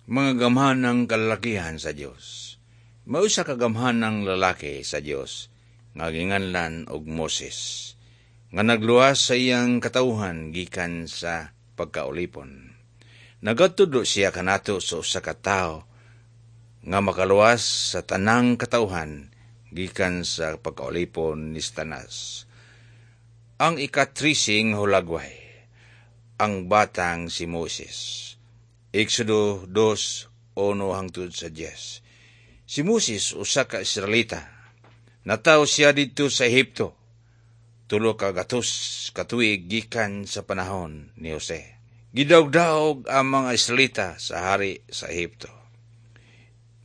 Mga gamhanang kalalakihan sa Dios. May usa ka gamhanang lalaki sa Dios nga ginganlan og Moses, nga nagluwas sa iyang katawhan gikan sa pagkaulipon. Nagatudlo siya kanato sa usa ka tawo nga makaluwas sa tanang katawhan gikan sa pagkaulipon ni Satanas. Ang ika-13 nga hulagway, ang batang si Moses. Exodo 2:1 hangtod sa 10. Si Moses usa ka Israelita. Natawo siya didto sa Ehipto, 300 ka tuig gikan sa panahon ni Jose. Gidawgdawg ang mga Israelita sa hari sa Ehipto.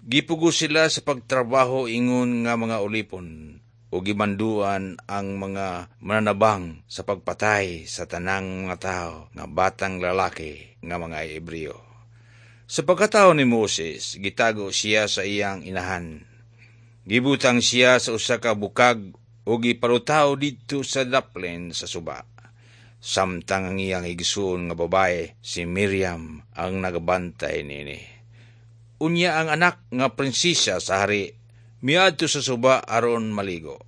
Gipugos sila sa pagtrabaho ingon nga mga ulipon o gimanduan ang mga mananabang sa pagpatay sa tanang mga tao nga batang lalaki nga mga Hebreo. Sa pagkatawo ni Moses, gitago siya sa iyang inahan. Gibutang siya sa usa ka bukag o gipalutaw didto sa daplin sa suba, samtang ang iyang igsuon nga babae, si Miriam, ang nagabantay niini. Unya ang anak nga prinsesa sa hari miadto sa suba aron maligo.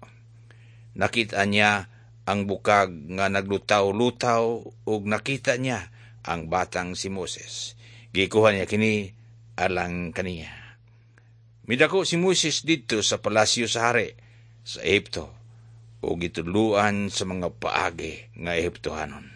Nakita niya ang bukag nga naglutaw-lutaw ug nakita niya ang batang si Moses. Gikuha niya kini alang kaniya. Midako si Moses didto sa palasyo sa hari sa Ehipto ug gitudloan sa mga paagi nga Ehiptohanon.